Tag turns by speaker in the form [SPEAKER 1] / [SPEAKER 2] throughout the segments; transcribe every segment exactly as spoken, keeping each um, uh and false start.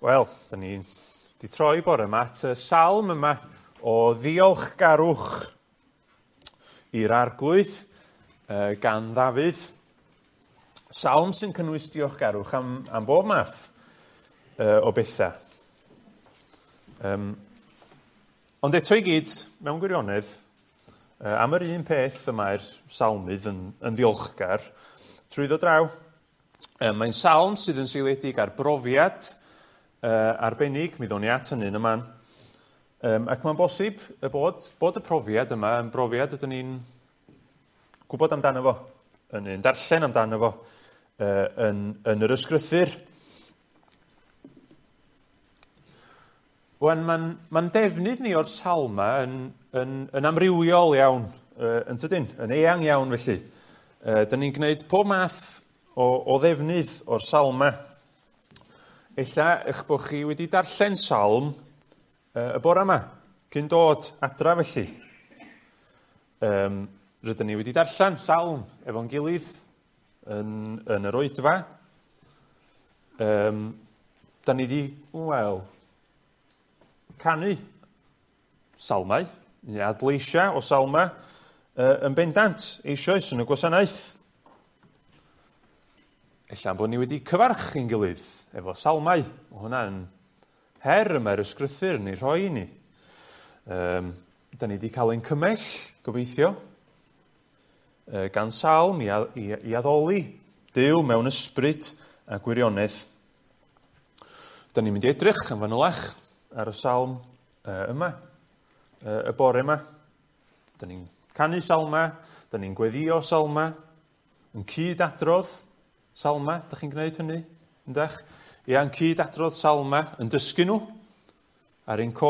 [SPEAKER 1] Wel, da ni di troi bore yma at y salm yma o ddiolchgarwch i'r Arglwydd uh, gan Ddafydd. Salm sy'n cynnwys diolchgarwch am, am bob math uh, o bethau. Um, ond eto i gyd, mewn gwirionedd, uh, am yr un peth y mae'r salmydd yn, yn ddiolchgar trwyddo draw. Uh, mae'n salm sydd yn seiliedig ar brofiad Uh, arbennig, mi ddown ni at hynny yn y man. Um, ac mae'n bosib y bod, bod y profiad yma yn brofiad ydyn ni'n gwybod amdano fo, yn, yn darllen amdano fo, uh, yn, yn yr ysgrythur. Wan, mae'n ma defnydd ni o'r salma yn, yn, yn amrywiol iawn, uh, yn tydyn, yn eang iawn felly. Uh, dyn ni'n gwneud pob math o, o ddefnydd o'r salma. Ella eich bod chi wedi darllen salm uh, y bore yma, cyn dod adra felly. Um, rydyn ni wedi darllen salm efo'n gilydd yn, yn yr oedfa. Um, da ni wedi, wel, canu salmau, neu adleisiau o salmau, uh, yn bendant eisoes yn y gwasanaeth. Ella bod ni wedi cyfarch ein gilydd efo salmau. Mae hwnna'n her y mae'r ysgrythur yn ei rhoi i ni. Um, da ni wedi cael ein cymell, gobeithio, uh, gan salm i, i, i addoli Duw mewn ysbryd a gwirionedd. Da ni'n mynd i edrych yn fanylach ar y salm uh, yma, uh, y bore yma. Da ni'n canu salma, da ni'n gweddio salma, yn cyd-adrodd salma, da chi'n gwneud hynny, yndach? Ia, yn cyd-adrodd salma, yn dysgu nhw ar ein co.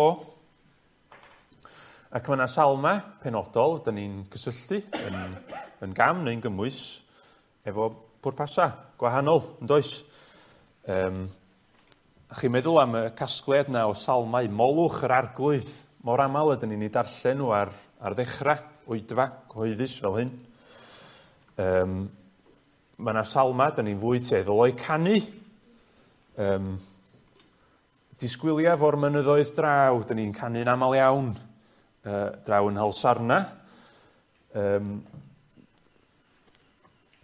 [SPEAKER 1] Ac mae yna salma penodol, da ni'n cysylltu yn, yn gam neu'n gymwys, efo pwrpasa gwahanol, yn does? Um, a chi'n meddwl am y casgliad yna o salmau, molwch yr Arglwydd, mor aml ydyn ni'n ei darllen nhw ar, ar ddechrau oedfa cyhoeddus fel hyn. Um, Mae yna salma, da ni'n fwy tueddol o'i canu. Um, disgwyliaf o'r mynyddoedd draw, da ni'n canu'n aml iawn, uh, draw yn Nhalsarna. Um,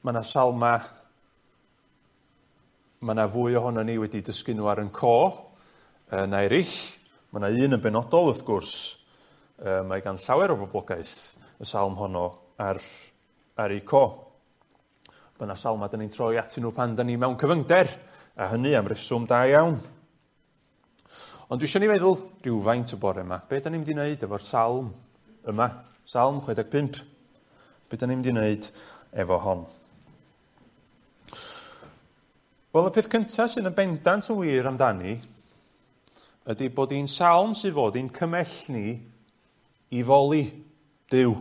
[SPEAKER 1] mae yna salma, mae yna fwy ohono ni wedi dysgu nhw ar yn co, uh, na eraill. Mae yna un yn benodol, wrth gwrs. Uh, mae gan llawer o boblogaeth y salm honno ar, ar ei co. Mae yna salma da ni'n troi atyn nhw pan da ni mewn cyfyngder, a hynny am reswm da iawn. Ond dwi eisiau ni feddwl rhywfaint y bore yma. Be da ni'n mynd i wneud efo'r salm yma? Salm chwe deg pump. Be da ni'n mynd i wneud efo hon? Wel, y peth cyntaf sydd yn bendant yn wir amdani ydy bod hi'n salm sydd fod i'n cymell ni i foli Duw.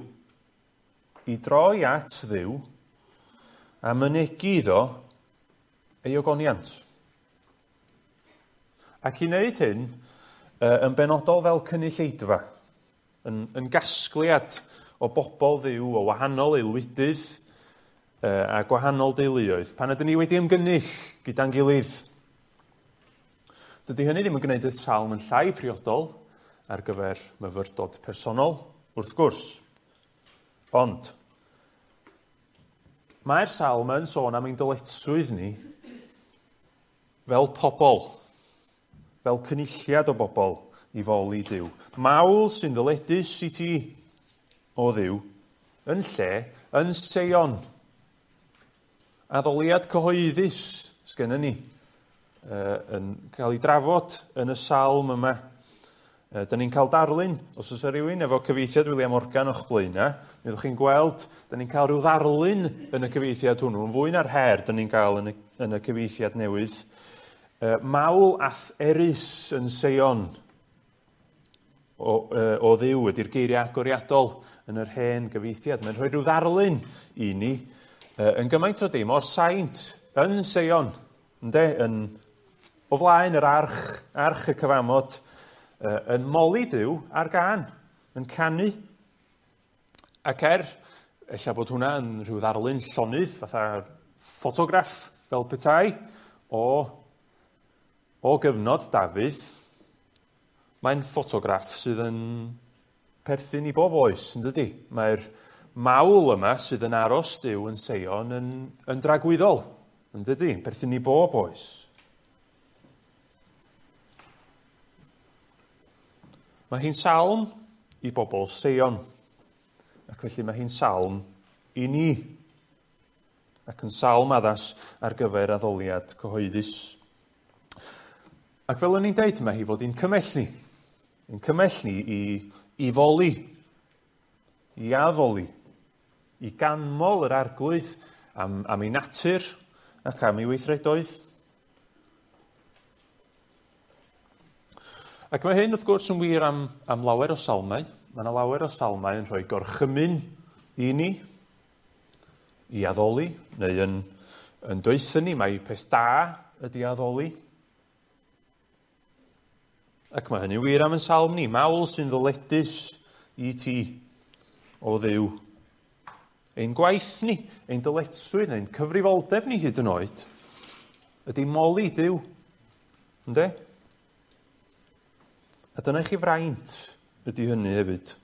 [SPEAKER 1] I droi at Dduw a mynegi iddo ei ogoniant. Ac i wneud hyn yn benodol fel cynulleidfa, yn, yn gasgliad o bobl Dduw o wahanol aelwydydd a gwahanol deuluoedd, pan ydyn ni wedi ymgynnull gyda'n gilydd. Dydy hynny ddim yn gwneud y salm yn llai priodol ar gyfer myfyrdod personol, wrth gwrs. Ond mae'r salm yn sôn am ein dyletswydd ni fel pobl, fel cynulliad o bobl i foli Duw. Mawl sy'n ddyledus i ti, o Dduw, yn lle, yn Seion. Addoliad cyhoeddus sgennyn ni, uh, yn cael ei drafod yn y salm yma. Uh, da ni'n cael darlun, os oes rhywun efo cyfieithiad William Morgan o'ch blaenau, mi ddwch chi'n gweld, da ni'n cael rhyw ddarlun yn y cyfieithiad hwnnw, yn fwy na'r her da ni'n cael yn y, yn y cyfieithiad newydd. Uh, mawl ath erys yn Seion o, uh, o Dduw ydy'r geiriau agoriadol yn yr hen gyfieithiad. Mae'n rhoi rhyw ddarlun i ni, uh, yn gymaint o dim o'r saint yn Seion, ynde, yn, o flaen yr arch, arch y cyfamod, yn moli Duw ar gân, yn canu. Ac er, ella bod hwnna yn rhyw ddarlun llonydd, fatha ffotograff fel petai, o o gyfnod Dafydd, mae'n ffotograff sydd yn perthyn i bob oes, yn dydi? Mae'r mawl yma sydd yn aros Duw yn Seion yn, yn dragwyddol, yn dydi? Perthyn i bob oes. Mae hi'n salm i bobl Seion, ac felly mae hi'n salm i ni, ac yn salm addas ar gyfer addoliad cyhoeddus. Ac fel o'n i'n deud, mae hi fod i'n cymell ni, i'n cymell ni i, i foli, i addoli, i ganmol yr Arglwydd am, am ei natur ac am ei weithredoedd. Ac mae hyn, wrth gwrs, yn wir am, am lawer o salmau. Mae yna lawer o salmau yn rhoi gorchymyn i ni, i addoli, neu yn, yn deutha ni mai peth da ydy addoli. Ac mae hynny wir am yn salm ni, mawl sy'n ddyledus i ti, o Dduw. Ein gwaith ni, ein dyletswydd, ein cyfrifoldeb ni hyd yn oed, ydy moli Duw. Ynde? A dyna i chi fraint ydy hynny hefyd.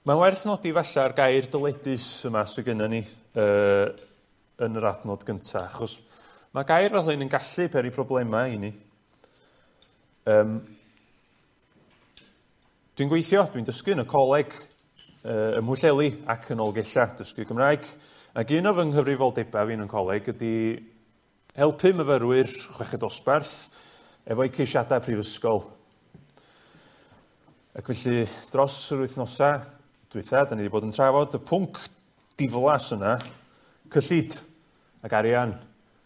[SPEAKER 1] Mae'n werth nodi falle'r gair dyledus yma sydd gennym ni uh, yn yr adnod gyntaf, achos mae gair fel hyn yn gallu peri problemau i ni. Um, dwi'n gweithio, dwi'n dysgu yn y coleg uh, ym Mhwllheli ac yn Nolgellau, dysgu Gymraeg. Ac un o fy nghyfrifoldebau fi yn y coleg ydy helpu myfyrwyr chweched dosbarth efo'u ceisiadau prifysgol. Ac felly, dros yr wythnosau dwytha, da ni wedi bod yn trafod y pwnc diflas yna, cyllid ac arian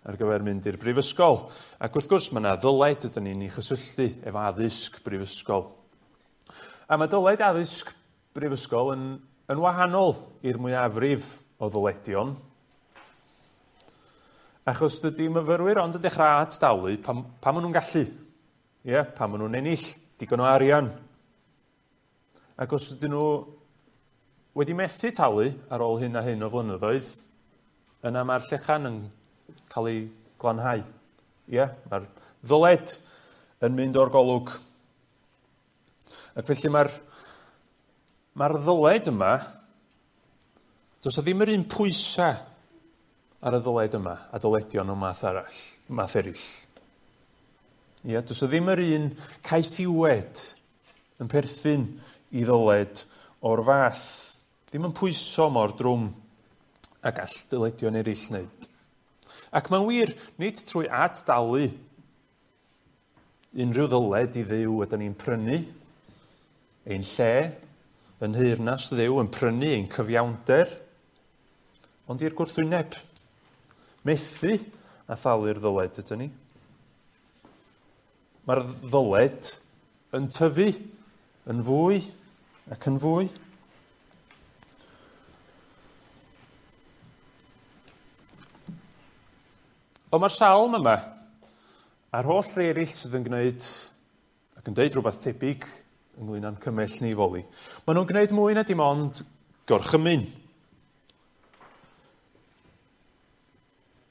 [SPEAKER 1] ar gyfer mynd i'r brifysgol. Ac wrth gwrs, mae yna ddyled ydyn ni'n ei chysylltu efo addysg brifysgol. A mae dyled addysg brifysgol yn, yn wahanol i'r mwyafrif o ddyledion. Achos dydy myfyrwyr ond yn dechrau ad-dalu pan, pan maen nhw'n gallu. Ie, yeah, pan maen nhw'n ennill digon o arian. Ac os ydyn nhw wedi methu talu ar ôl hyn a hyn o flynyddoedd, yna mae'r llechan yn cael ei glanhau. Ie, yeah, mae'r ddyled yn mynd o'r golwg. Ac felly mae'r mae'r ddyled yma, does o ddim yr un pwysau ar y ddyled yma, a dyledion o math arall, math eraill. Ie, does o ddim yr un caethiwed yn perthyn i ddyled o'r fath. Ddim yn pwyso mor drwm a gall dyledion eraill wneud. Ac mae'n wir, nid trwy ad-dalu unrhyw ddyled i Dduw ydyn ni'n prynu ein lle yn nheyrnas Dduw, yn prynu ein cyfiawnder, ond i'r gwrthwyneb. Methu a thalu'r ddyled ydyn ni. Mae'r ddyled yn tyfu, yn fwy ac yn fwy. Ond mae'r salm yma, a'r holl rei eraill sydd yn gwneud ac yn deud rhywbeth tebyg ynglyn â'n cymell ni foli, maen nhw'n gwneud mwy na dim ond gorchymyn.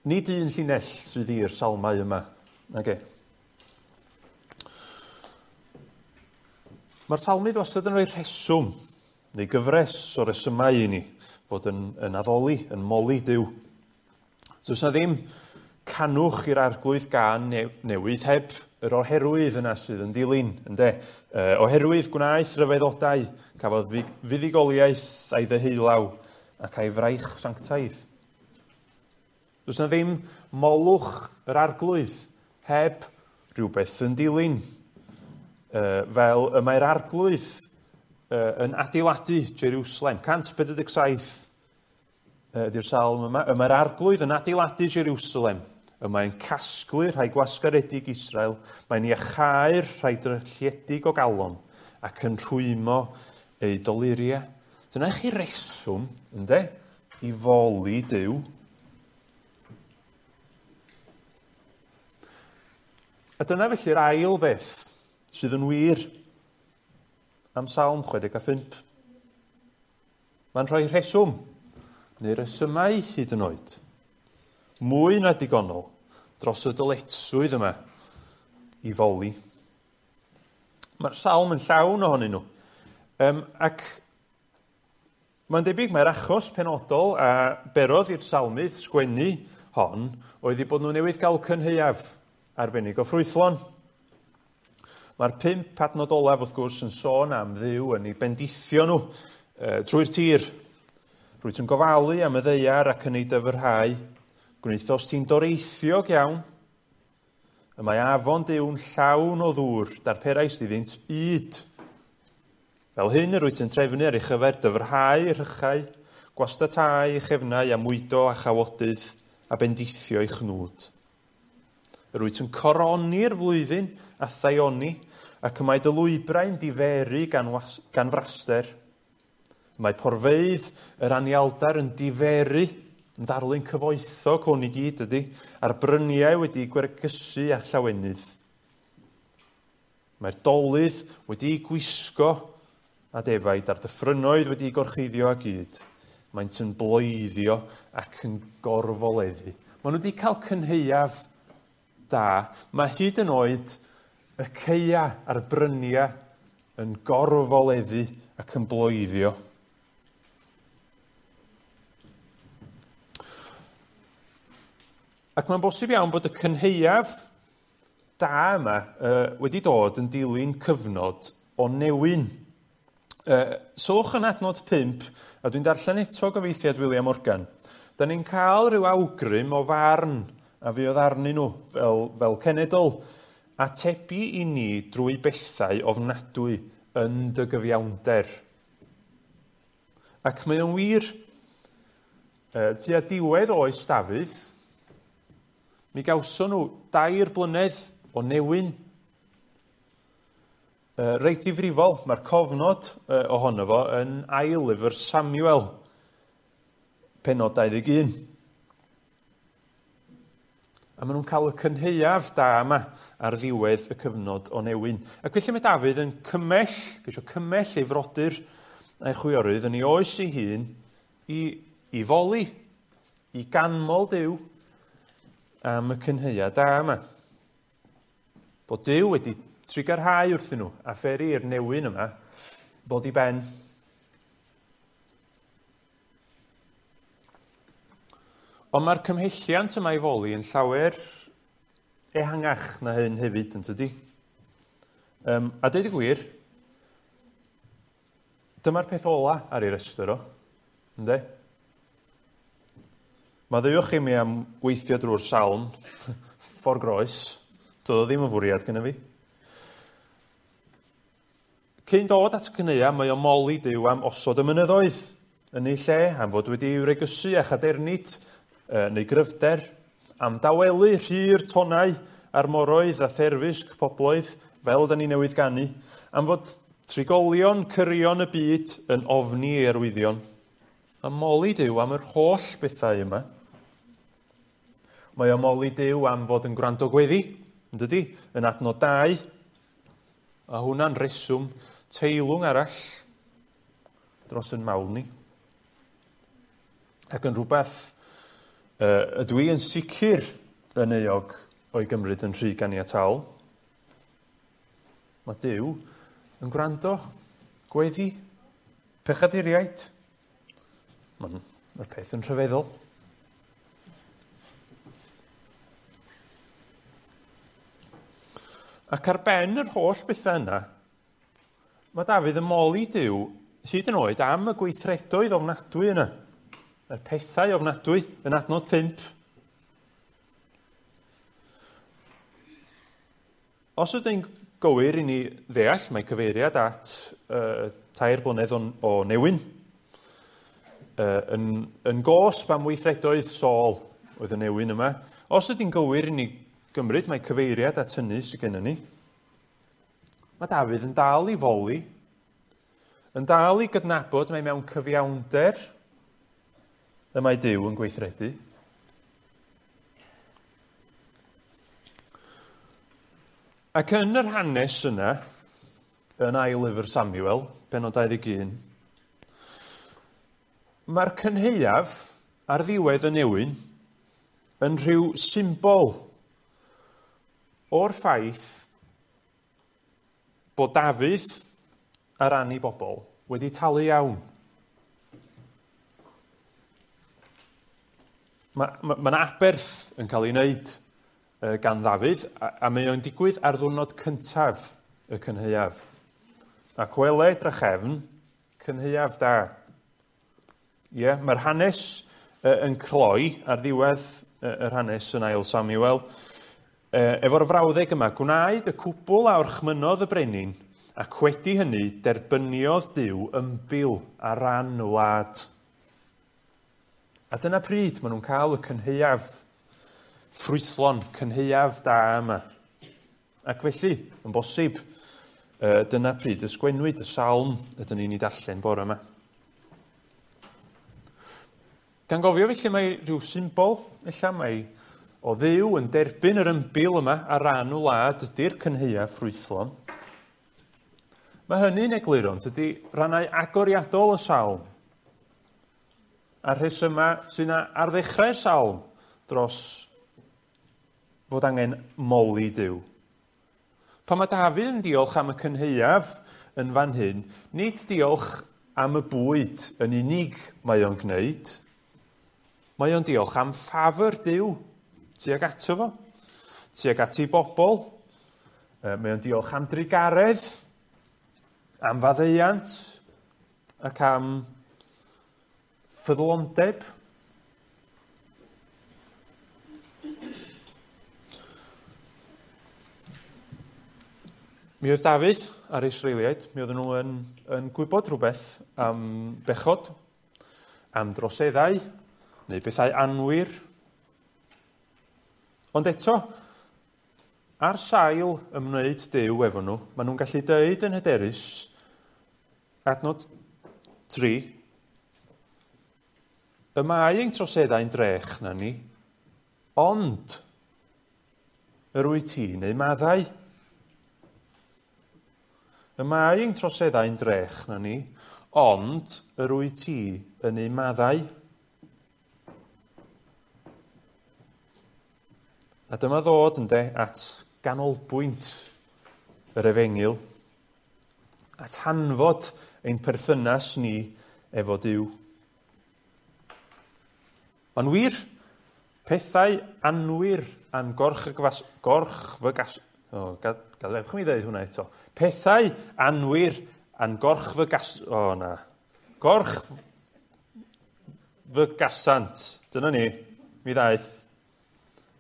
[SPEAKER 1] Nid un llinell sydd i'r salmau yma. Nage. Mae'r salmydd wastad yn rhoi rheswm neu gyfres o resymau i ni fod yn, yn addoli, yn moli Duw. Does na ddim canwch i'r Arglwydd gan newydd heb yr oherwydd yna sydd yn dilyn, ynde? Oherwydd gwnaeth rhyfeddodau, cafodd fuddugoliaeth a'i ddeheulaw ac a'i fraich sanctaidd. Does na ddim molwch yr Arglwydd heb rhywbeth yn dilyn, fel y mae'r Arglwydd yn adeiladu Jerusalem. cant pedwar deg saith ydy'r salm yma. Y mae'r Arglwydd yn adeiladu Jerusalem. Y mae'n casglu rhai gwasgaredig Israel, mae'n iachau'r rhai drylliedig o galon ac yn rhwymo eu doluriau. Dyna i chi reswm, ynde, i foli Duw. A dyna felly'r ail beth sydd yn wir am Salm chwe deg pump. Mae'n rhoi rheswm, neu resymau hyd yn oed, Mwy na digonol dros y dyletswydd yma i foli. Mae'r salm yn llawn ohonyn nhw. Um, ac mae'n debyg mae'r achos penodol a berodd i'r salmydd sgwennu hon oedd i bod nhw newydd gael cynhaeaf arbennig o ffrwythlon. Mae'r pump adnod olaf wrth gwrs yn sôn am Dduw yn ei bendithio nhw e, trwy'r tir. Rwyt yn gofalu am y ddaear ac yn ei dyfrhau. Gwnaethost ti'n doreithiog iawn. Y mae afon Duw'n llawn o ddŵr, darperais iddynt yd. Fel hyn yr wyt yn trefnu ar ei chyfer dyfrhau rhychau, gwastatau ei chefnau a mwydo a chawodydd a bendithio ei chnwd. Yr wyt yn coroni'r flwyddyn a thaioni, ac y mae dy lwybrau'n diferu gan, was, gan fraster. Mae porfeydd yr anialdar yn diferu, yn ddarlun cyfoethog hwn i gyd ydy, a'r bryniau wedi gwergysu a llawenydd. Mae'r dolydd wedi gwisgo a defaid a'r dyffrynnoedd wedi gorchuddio ag yd. Maent yn bloeddio ac yn gorfoleddu. Maen nhw wedi cael cynhaeaf da. Mae hyd yn oed y ceia a'r bryniau yn gorfoleddu ac yn bloeddio. Ac mae'n bosib iawn bod y cynhaeaf da yma uh, wedi dod yn dilyn cyfnod o newyn. Uh, sylwch yn adnod pump, a dwi'n darllen eto gyfieithiad William Morgan. Da ni'n cael rhyw awgrym o farn a fuodd arnyn nhw fel, fel cenedl, atebu i ni drwy bethau ofnadwy yn dy gyfiawnder. Ac mae o'n wir, uh, tua diwedd oes Dafydd, mi gawson nhw dair blynedd o newyn. Uh, reit ddifrifol, mae'r cofnod uh, ohono fo yn ail lyfr Samuel, pennod dau ddeg un. A maen nhw'n cael y cynhaeaf da yma ar ddiwedd y cyfnod o newyn. Ac felly mae Dafydd yn cymell, geisio cymell ei frodyr a'i chwiorydd yn ei oes ei hun i, i foli, i ganmol Duw am y cynhaeaf da yma. Bod Duw wedi trigarhau wrthyn nhw a pheri i'r newyn yma ddod i ben. Ond mae'r cymhelliant yma i foli yn llawer ehangach na hyn hefyd, yn tydi? Um, a deud y gwir, dyma'r peth ola ar ei restr o, ynde? Maddeuwch i mi am weithio drwy'r salm, ffordd groes, doedd o ddim yn fwriad gyda fi. Cyn dod at gynhaeaf, mae o moli Duw am osod y mynyddoedd yn ei lle, am fod wedi ei wregysu a chadernid neu gryfder, am dawelu rhu'r tonnau a'r moroedd a therfysg pobloedd, fel da ni newydd ganu, am fod trigolion cyrion y byd yn ofni ei arwyddion. A moli Duw am yr holl bethau yma. Mae o moli Duw am fod yn gwrando gweddi, yn dydi, yn adnod dau, a hwnna'n reswm teilwng arall dros yn mawl ni. Ac yn rhywbeth uh, ydw i yn sicr yn euog o'i gymryd yn rhy ganiataol. Mae Duw yn gwrando, gweddi, pechaduriaid. Mae'r mae peth yn rhyfeddol. Ac ar ben yr holl bethau yna, mae Dafydd yn moli Duw hyd yn oed am y gweithredoedd ofnadwy yna. Y pethau ofnadwy yn adnod pump. Os ydyn gywir i ni ddeall, mae cyfeiriad at uh, tair blynedd o, o newyn. Uh, yn, yn gosb am weithredoedd Saul oedd y newyn yma. Os ydyn gywir i ni gymryd, mae cyfeiriad at hynny sydd gennym ni. Mae Dafydd yn dal i foli, yn dal i gydnabod mae mewn cyfiawnder y mae Duw yn gweithredu. Ac yn yr hanes yna, yn ail lyfr Samuel, pennod dau ddeg un, mae'r cynhaeaf ar ddiwedd y newyn yn rhyw symbol o'r ffaith bod Dafydd ar ran ei bobl wedi talu iawn. Mae ma, ma 'na aberth yn cael ei wneud gan Ddafydd, a, a mae o'n digwydd ar ddwrnod cyntaf y cynhaeaf. Ac wele drachefn, cynhaeaf da. Ie, yeah, mae'r hanes yn cloi ar ddiwedd yr hanes yn ail Samuel. Efo'r frawddeg yma, gwnaed y cwbl a orchmynnodd y brenin, ac wedi hynny derbyniodd Duw ymbil ar ran y wlad. A dyna pryd maen nhw'n cael y cynhaeaf ffrwythlon, cynhaeaf da yma. Ac felly, yn bosib, dyna pryd ysgwennwyd y salm ydyn ni'n ei darllen bore yma. Gan gofio felly mae rhyw symbol, ella mae o Dduw yn derbyn yr ymbil yma ar ran y wlad ydy'r cynhaeaf ffrwythlon. Mae hynny'n egluro, tydi rannau agoriadol y salm a'r rhesymau sy'n ar ddechrau'r salm dros fod angen moli Duw. Pan mae Dafydd yn diolch am y cynhaeaf yn fan hyn, nid diolch am y bwyd yn unig mae o'n gwneud. Mae o'n diolch am ffafr Duw tuag ato fo, tuag at ei bobl. Mae o'n diolch am drugaredd, am faddeuant ac am ffyddlondeb. Mi oedd Dafydd a'r Israeliaid, mi oedden nhw yn, yn gwybod rhywbeth am bechod, am droseddau, neu bethau anwir. Ond eto, ar sail ymwneud Duw efo nhw, maen nhw'n gallu deud yn hyderus, adnod tri, y mae ein troseddau'n drech na ni, ond yr wyt ti neu maddau. Y mae ein troseddau'n drech na ni, ond yr wyt ti yn ei maddau. A dyma ddod ynde at ganolbwynt yr efengyl, at hanfod ein perthynas ni efo Duw. Mae'n wir, pethau anwir a'n gorchfas, gorchfygas... O, gad, gadewch mi ddeud hwnna eto. Pethau anwir a'n gorchfygas... O, na. Gorchfygasant. Dyna ni. Mi ddaeth.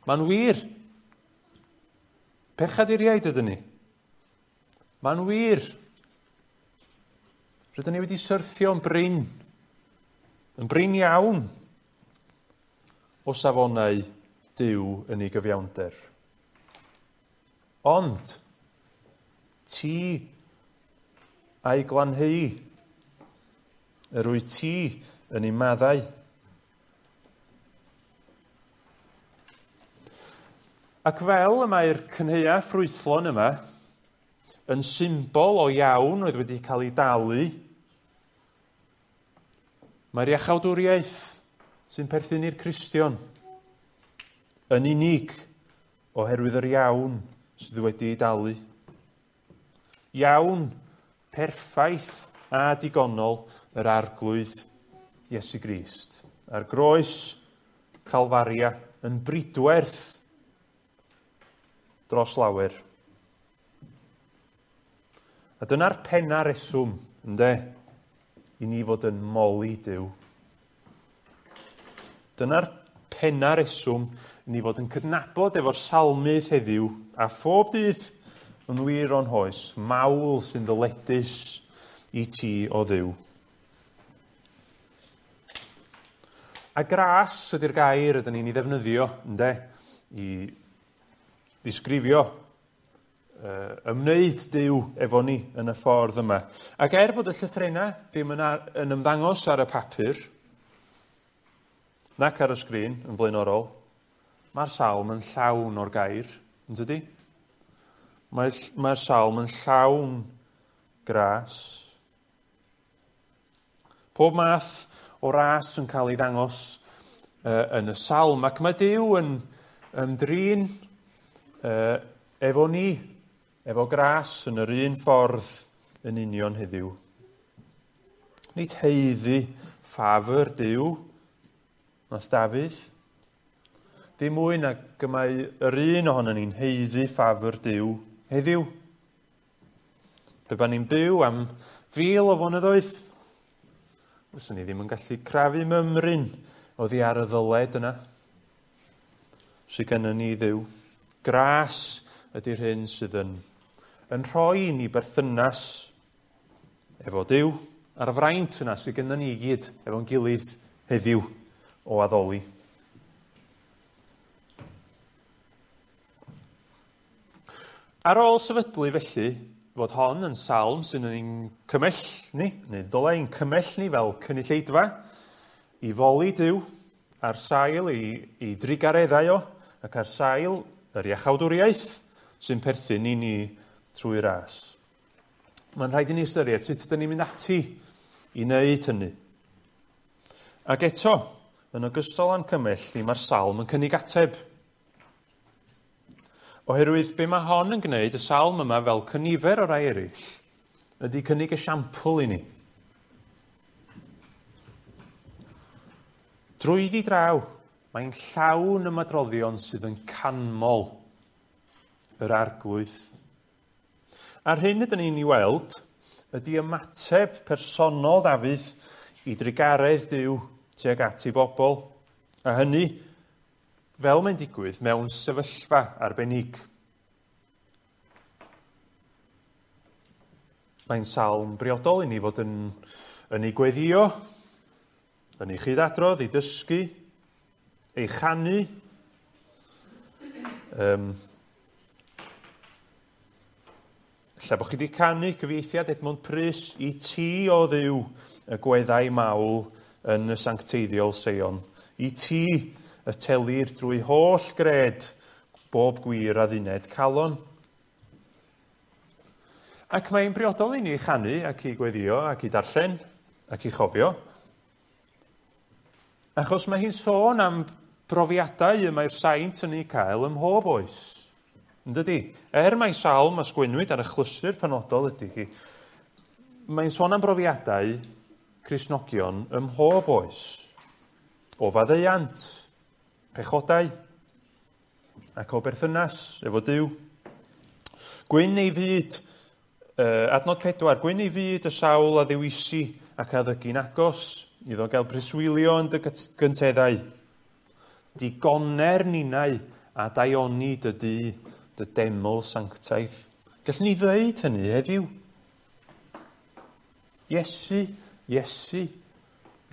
[SPEAKER 1] Mae'n wir. Pechaduriaid ydyn ni. Mae'n wir. Rydyn ni wedi syrthio'n brin. Yn brin iawn o safonau Duw yn ei gyfiawnder. Ond, ti a'i glanheu, yr wyt ti yn ei maddau. Ac fel y mae'r cynhaeaf ffrwythlon yma yn symbol o iawn oedd wedi cael ei dalu, mae'r iachawdwriaeth sy'n perthyn i'r Cristion yn unig oherwydd yr iawn sydd wedi ei dalu. Iawn, perffaith a digonol yr Arglwydd Iesu Grist. A'r groes Calfaria yn bridwerth dros lawer. A dyna'r penna reswm, ynde, i ni fod yn moli Duw. Dyna'r penna reswm i ni fod yn cydnabod efo'r salmydd heddiw a phob dydd yn wir o'n hoes, mawl sy'n ddyledus i ti o Dduw. A gras ydy'r gair ydyn ni'n ei ddefnyddio, ynde, i ddisgrifio uh, ymwneud Duw efo ni yn y ffordd yma. Ac er bod y llythrennau ddim yn, ar, yn ymddangos ar y papur, nac ar y sgrin yn flaenorol, mae'r salm yn llawn o'r gair, yn tydi? Mae'r mae salm yn llawn gras. Pob math o ras yn cael ei ddangos uh, yn y salm. Ac mae Duw yn ymdrin uh, efo ni, efo gras yn yr un ffordd yn union heddiw. Nid haeddu ffafr Duw, nath Dafydd. Dim mwy nag y mae yr un ohonon ni'n haeddu ffafr Duw heddiw. Pe bawn ni'n byw am fil o flynyddoedd, fyswn ni ddim yn gallu crafu mymryn oddi ar y ddyled yna sydd gennym ni i Dduw. Gras ydy'r hyn sydd yn, yn rhoi i ni berthynas efo Duw a'r fraint yna sydd gennym ni i gyd efo'n gilydd heddiw o addoli. Ar ôl sefydlu felly fod hon yn salm sy'n ein cymell ni, neu ddylai ein cymell ni fel cynulleidfa, i foli Duw ar sail ei, ei drugareddau o, ac ar sail yr iachawdwriaeth sy'n perthyn i ni trwy ras. Mae'n rhaid i ni ystyried sut ydyn ni'n mynd ati i wneud hynny. Ac eto, yn ogystal â'n cymell ni, mae'r salm yn cynnig ateb. Oherwydd be mae hon yn gwneud, y salm yma fel cynifer o rai eraill, ydy cynnig esiampl i ni. Drwyddi draw, mae'n llawn ymadroddion sydd yn canmol yr Arglwydd. A'r hyn ydyn ni'n ei weld ydy ymateb personol Dafydd i drugaredd Duw tuag at ei bobl, a hynny fel mae'n digwydd mewn sefyllfa arbennig. Mae'n salm briodol i ni fod yn, yn ei gweddio, yn ei chydadrodd, ei dysgu, ei chanu. Um, Ella bod chi wedi canu cyfieithiad Edmund Prys i ti o Dduw y gweddau mawl yn y sancteiddiol Seion. I ti y telir drwy holl gred bob gwir adduned calon. Ac mae'n briodol i ni chanu ac i gweddio ac i darllen ac i chofio. Achos mae hi'n sôn am brofiadau y mae'r saint yn ei cael ym mhob oes. Yn dydi? Er mai salm a sgwennwyd ar achlysur penodol ydy hi, mae'n sôn am brofiadau Cristnogion ym mhob oes. O faddeuant, pechodau, ac o berthynas efo Duw. Gwyn ei fyd, uh, adnod pedwar, gwyn ei fyd y sawl a ddewisi ac a ddygi'n agos, iddo gael preswylio yn dy gynteddau. Digoner ninau a daioni dy dŷ, dy deml sanctaidd. Gallwn ni ddweud hynny heddiw. Iesu, Iesu,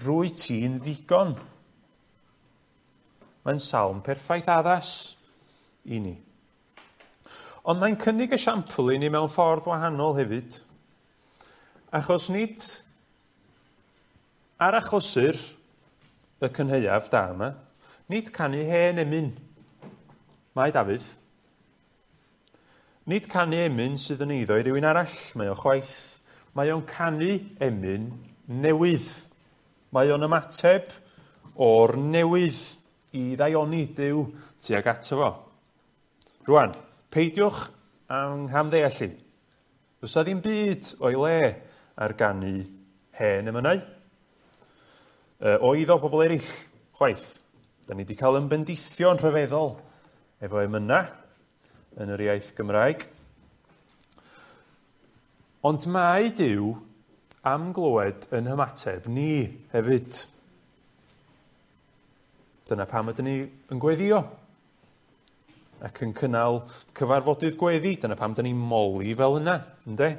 [SPEAKER 1] rwy ti'n ddigon. Mae'n salm perffaith addas i ni. Ond mae'n cynnig esiampl i ni mewn ffordd wahanol hefyd. Achos nid ar achlysur y cynhaeaf da yma, nid canu hen emyn mae Dafydd. Nid canu emyn sydd yn eiddo i rywun arall, mae o chwaith. Mae o'n canu emyn newydd. Mae o'n ymateb o'r newydd i ddaioni Duw tuag ato fo. Rwan, peidiwch anghamddeall i. Does 'na ddim byd o'i le ar ganu hen emynau. O eiddo pobl eraill, chwaith. Da ni wedi cael ymbendithio'n rhyfeddol efo emynau yn yr iaith Gymraeg. Ond mae Duw am glywed yn hymateb ni hefyd. Dyna pam ydyn ni yn gweddio ac yn cynnal cyfarfodydd gweddi. Dyna pam ydyn ni'n moli fel yna, ynde?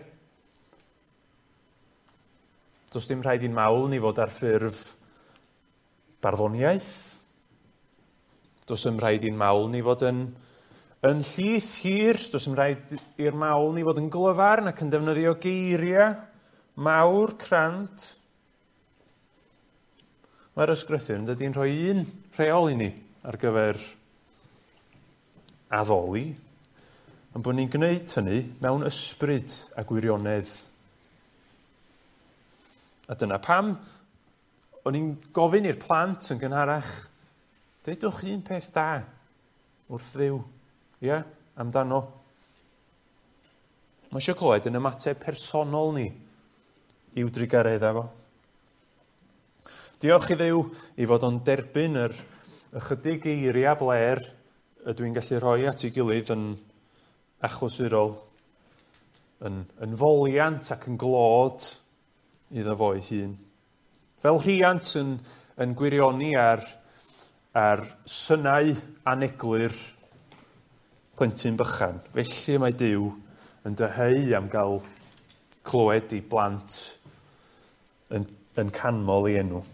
[SPEAKER 1] Does dim rhaid i'n mawl ni fod ar ffurf barddoniaeth. Does dim rhaid i'n mawl ni fod yn, yn llith hir. Does dim rhaid i'r mawl ni fod yn glyfar ac yn defnyddio geiriau mawr crand. Mae'r ysgrythur yn dydi'n rhoi un rheol i ni ar gyfer addoli, ond bod ni'n gwneud hynny mewn ysbryd a gwirionedd. A dyna pam o'n i'n gofyn i'r plant yn gynharach Deudwch un peth da wrth Dduw, ia, amdano. Mae eisiau clywed yn ymateb personol ni i'w drugaredd fo. Diolch i Dduw i fod o'n derbyn yr ychydig eiriau blêr ydw i'n gallu rhoi at ei gilydd yn achlysurol, yn, yn foliant ac yn glod iddo fo'i hun. Fel rhiant yn, yn gwirioni ar, ar synau aneglur plentyn bychan, felly mae Duw yn dyheu am gael clywed i blant yn, yn canmol ei enw.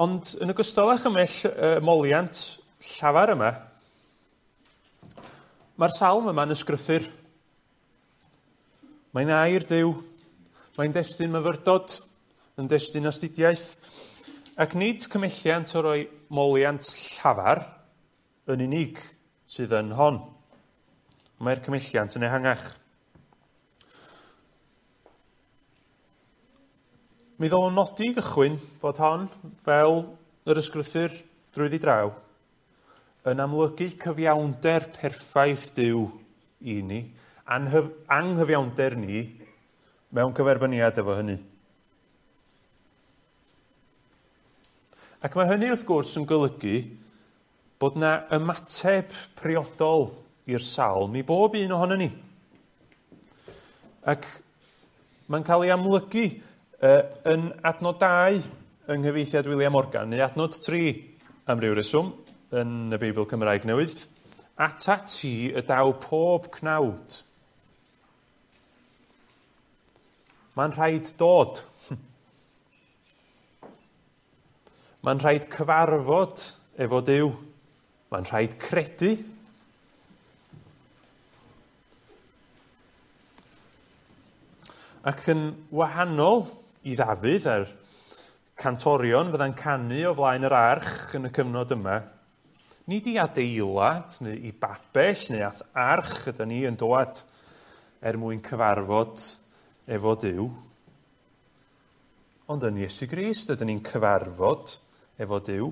[SPEAKER 1] Ond yn ogystal â chymell uh, moliant llafar yma, mae'r salm yma'n ysgrythur. Mae'n air Duw, mae'n destun myfyrdod, yn destun astudiaeth, ac nid cymelliant o roi moliant llafar yn unig sydd yn hon. Mae'r cymelliant yn ehangach. Mi ddylwn nodi i gychwyn fod hon, fel yr ysgrythur drwyddi draw, yn amlygu cyfiawnder perffaith Duw i ni, anghyf- anghyfiawnder ni mewn cyferbyniad efo hynny. Ac mae hynny wrth gwrs yn golygu bod na ymateb priodol i'r salm i bob un ohono ni. Ac mae'n cael ei amlygu uh, yn adnod dau yng nghyfieithiad William Morgan, neu adnod tri am ryw reswm yn y Beibl Cymraeg Newydd. Ata ti y daw pob cnawd. Mae'n rhaid dod. Mae'n rhaid cyfarfod efo Duw. Mae'n rhaid credu. Ac yn wahanol i Ddafydd a'r cantorion fydda'n canu o flaen yr arch yn y cyfnod yma, nid i adeilad neu i babell neu at arch ydy ni yn dod er mwyn cyfarfod efo Duw, ond yn Iesu Grist ydyn ni'n cyfarfod efo Duw.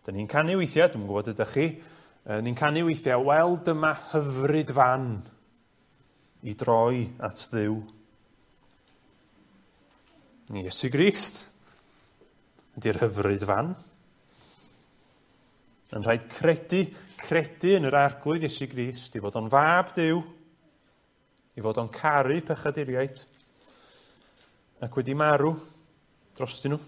[SPEAKER 1] Dyn ni'n canu weithiau, dwi'n gwybod ydych chi, ni'n canu weithiau, wel dyma hyfryd fan i droi at Dduw. Iesu Grist ydy'r hyfryd fan. Yn rhaid credu, credu yn yr Arglwydd Iesu Grist, i fod o'n fab Duw, i fod o'n caru pechaduriaid, ac wedi marw drostyn nhw.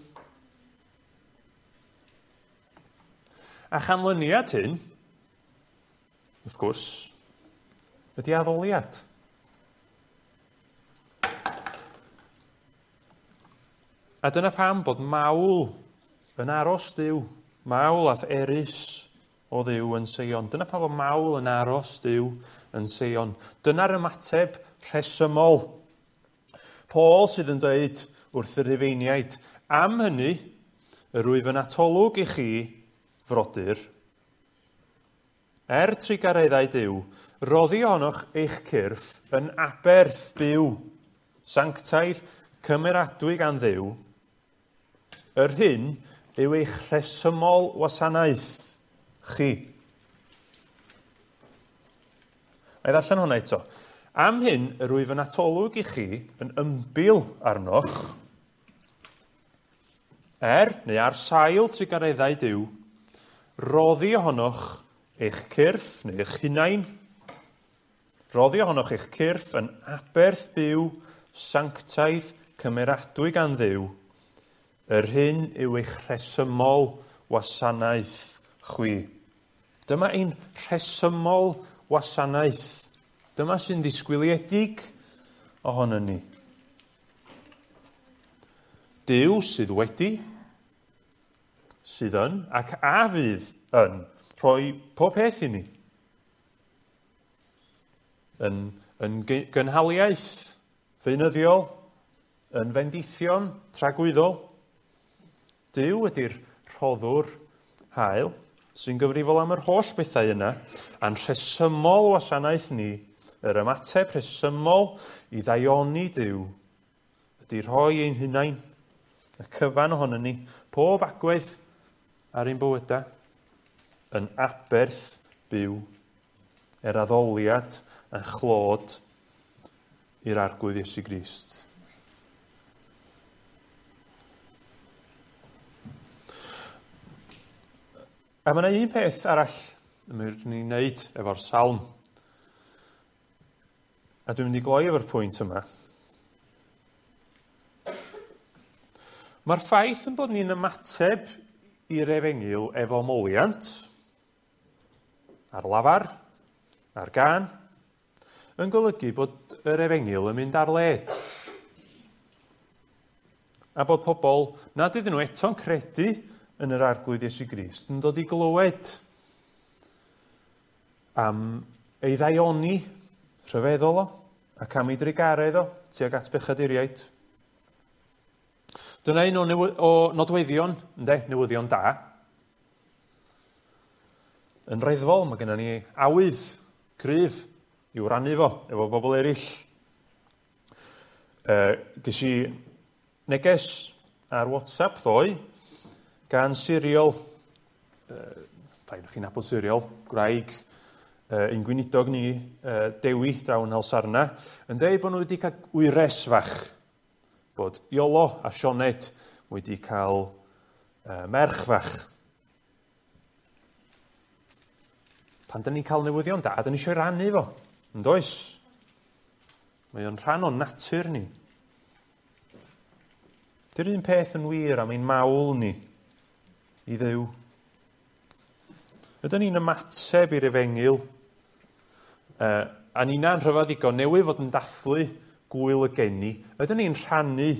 [SPEAKER 1] A chanlyniad hyn, wrth gwrs, ydy addoliad. A dyna pam bod mawl yn aros Duw, mawl ath erys o Dduw yn Seion. Dyna pam bod mawl yn aros Duw yn Seion. Dyna'r ymateb rhesymol. Paul sydd yn dweud wrth y Rhufeiniaid, am hynny, yr wyf yn atolwg i chi, frodyr, er trugareddau Duw, roddi ohonoch eich cyrff yn aberth byw, sanctaidd, cymeradwy gan Dduw, yr hyn yw eich rhesymol wasanaeth chi. A i ddarllen hwnna eto. Am hyn, yr wyf yn atolwg i chi yn ymbil arnoch, er, neu ar sail trugareddau Duw, roddi ohonoch eich cyrff neu eich hunain, roddi ohonoch eich cyrff yn aberth byw, sanctaidd, cymeradwy gan Dduw, yr hyn yw eich rhesymol wasanaeth chwi. Dyma ein rhesymol wasanaeth. Dyma sy'n ddisgwyliedig ohono ni. Duw sydd wedi, sydd yn, ac a fydd yn rhoi pob peth i ni. Yn, yn gynhaliaeth feunyddiol, yn fendithion tragwyddol. Duw ydy'r rhoddwr hael sy'n gyfrifol am yr holl bethau yna, a'n rhesymol wasanaeth ni, yr ymateb rhesymol i ddaioni Duw, ydy rhoi ein hunain, y cyfan ohonon ni, pob agwedd ar ein bywydau, yn aberth byw, er addoliad a chlod i'r Arglwydd Iesu Grist. A mae yna un peth arall y mae'n ni'n wneud efo'r salm. A dwi'n mynd i gloi efo'r pwynt yma. Mae'r ffaith yn bod ni'n ymateb i'r efengyl efo moliant, ar lafar, ar gân, yn golygu bod yr efengyl yn mynd ar led. A bod pobl nad ydyn nhw eto'n credu yn yr Arglwydd Iesu Grist yn dod i glywed am ei ddaioni rhyfeddol o ac am ei drugaredd o tuag at bechaduriaid. Dyna un o, newy- o nodweddion, ynde, newyddion da. Yn reddfol, mae gennym ni awydd cryf i'w rannu fo efo bobl eraill. E, ges i neges ar WhatsApp ddoe gan Siriol, e, rhai ohonoch chi'n nabod Siriol, gwraig e, ein gweinidog ni, e, Dewi, draw yn Nhalsarna, yn dweud bod nhw wedi cael wyres fach, bod Iolo a Sioned wedi cael e, merch fach. Pan dyn ni'n cael newyddion da, dyn ni eisiau rannu fo, yn does? Mae o'n rhan o'n natur ni. Dy'r un peth yn wir am ein mawl ni i Dduw. Ydyn ni'n ymateb i'r efengyl, uh, a ni'na'n rhyfedd ddigon newydd fod yn dathlu gwyl y geni, ydyn ni'n rhannu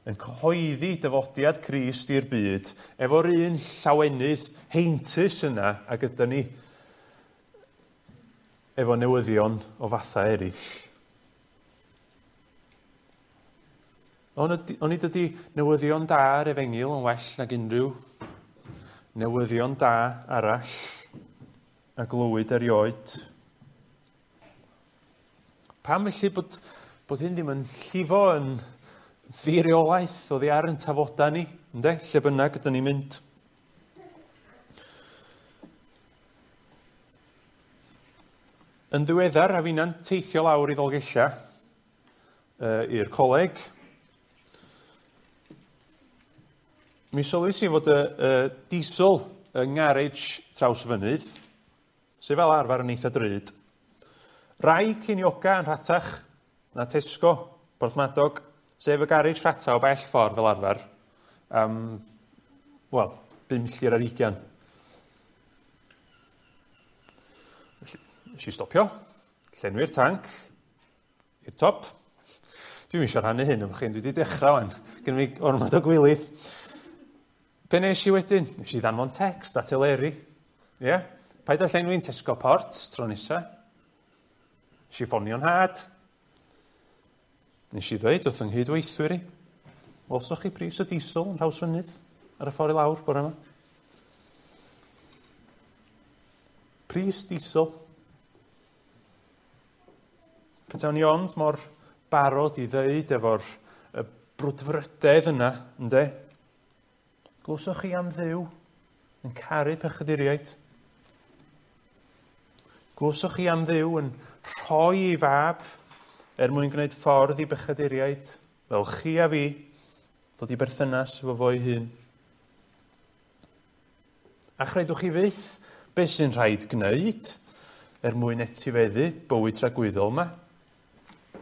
[SPEAKER 1] yn cyhoeddi dyfodiad Crist i'r byd efo'r un llawenydd heintus yna ag ydyn ni efo newyddion o fathau eraill. Onid ydy newyddion da yr efengyl yn well nag unrhyw newyddion da arall a glywyd erioed? Pam felly bod, bod hyn ddim yn llifo yn ddireolaeth oddi ar yn tafodau ni, ynde? Lle bynnag ydyn ni'n mynd. Yn ddiweddar, a finna'n teithio lawr i Ddolgellau uh, i'r coleg, mi sylwis i fod y, y diesel yng ngarej Trawsfynydd, sef fel arfer yn eitha drud, rai cinioga yn rhatach na Tesco, Porthmadog, sef y garej rhata o bell ffordd fel arfer, am, wel, bum milltir ar ugain. Felly, nes i stopio, llenwi'r tanc, i'r top. Dwi'm eisiau rhannu hyn efo chi, dwi wedi dechrau wan, gynno fi ormod o gwilydd. Be nes i wedyn? Nes i ddanfon text at Eleri. Ie? Yeah? Paid â llenwi'n Tesco Port tro nesa. Nes i ffonio'n nhad. Nes i ddweud wrth yng nghydweithwyr i, welsoch chi pris y diesel yn Nhrawsfynydd ar y ffordd i lawr bore yma? Pris diesel. Petawn i ond mor barod i ddeud efo'r brwdfrydedd yna, ynde? Glywsoch chi am Dduw yn caru pechaduriaid? Glywsoch chi am Dduw yn rhoi ei fab er mwyn gwneud ffordd i bechaduriaid, fel chi a fi, ddod i berthynas efo fo'i hun? A chredwch chi fyth beth sy'n rhaid gwneud er mwyn etifeddu bywyd tragwyddol yma?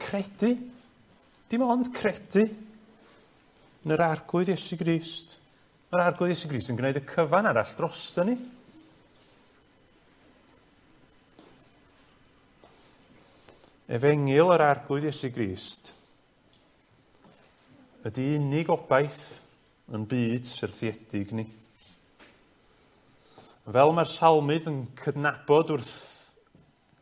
[SPEAKER 1] Credu. Dim ond credu yn yr Arglwydd Iesu Grist. Mae'r Arglwydd Iesu Grist yn gwneud y cyfan arall drosto ni. Efengyl yr Arglwydd Iesu Grist ydy unig obaith yn byd syrthiedig ni. Fel mae'r salmydd yn cydnabod wrth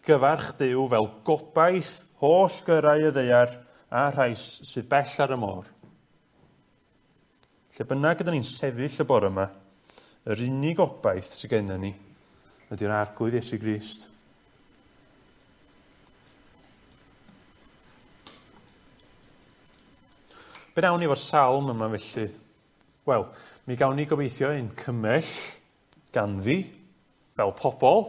[SPEAKER 1] gyfarch Duw fel gobaith holl gyrau y ddaear a rhai sydd bell ar y môr. Lle bynnag ydyn ni'n sefyll y bore yma, yr unig obaith sydd gennym ni ydy'r Arglwydd Iesu Grist. Be nawn ni efo'r salm yma felly? Wel, mi gawn ni gobeithio ein cymell ganddi, fel pobl,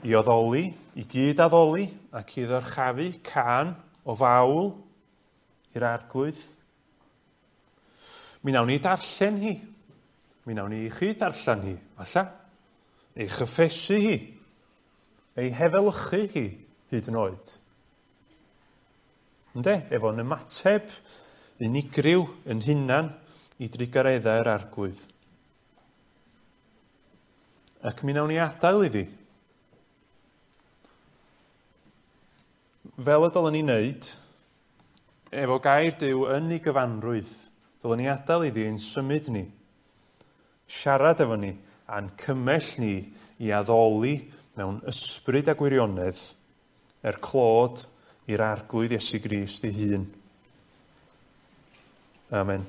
[SPEAKER 1] i addoli, i gyd addoli, ac i ddyrchafu cân o fawl i'r Arglwydd. Mi nawn ni darllen hi. Mi nawn ni i chi darllen hi, falla. Ei chyffesu hi. Ei hefelychu hi, hyd yn oed. Ynde? Efo'n ymateb unigryw yn hunan i drugareddau'r Arglwydd. Ac mi nawn ni adael iddi. Fel y dylen ni wneud, efo gair Duw yn ei gyfanrwydd, dylen ni adael iddi ein symud ni, siarad efo ni, a'n cymell ni i addoli mewn ysbryd a gwirionedd, er clod i'r Arglwydd Iesu Grist ei hun. Amen.